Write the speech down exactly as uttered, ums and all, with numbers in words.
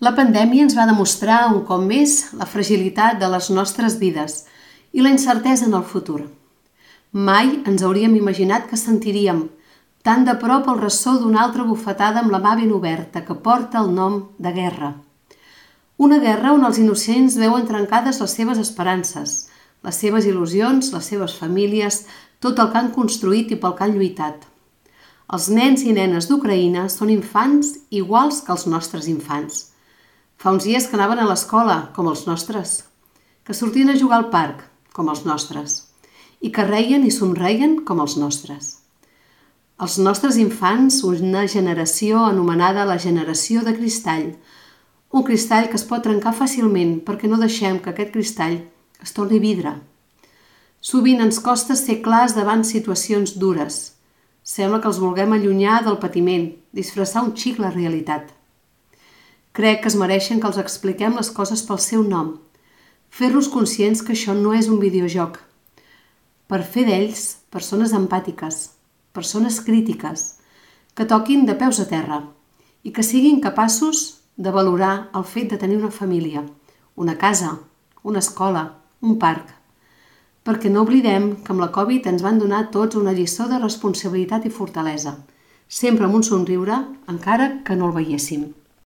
La pandèmia ens va demostrar un cop més la fragilitat de les nostres vides i la incertesa en el futur. Mai ens hauríem imaginat que sentiríem tan de prop el ressò d'una altra bufetada amb la mà ben oberta que porta el nom de guerra. Una guerra on els innocents veuen trencades les seves esperances, les seves il·lusions, les seves famílies, tot el que han construït i pel que han lluitat. Els nens i nenes d'Ucraïna són infants iguals que els nostres infants. Fa uns dies que anaven a l'escola, com els nostres, que sortien a jugar al parc, com els nostres, i que reien i somreien com els nostres. Els nostres infants, una generació anomenada la generació de cristall, un cristall que es pot trencar fàcilment perquè no deixem que aquest cristall es torni vidre. Sovint ens costa ser clars davant situacions dures. Sembla que els vulguem allunyar del patiment, disfressar un xic la realitat. Crec que es mereixen que els expliquem les coses pel seu nom, fer-los conscients que això no és un videojoc, per fer d'ells persones empàtiques, persones crítiques, que toquin de peus a terra i que siguin capaços de valorar el fet de tenir una família, una casa, una escola, un parc, perquè no oblidem que amb la Covid ens van donar tots una lliçó de responsabilitat i fortalesa, sempre amb un somriure, encara que no el veiéssim.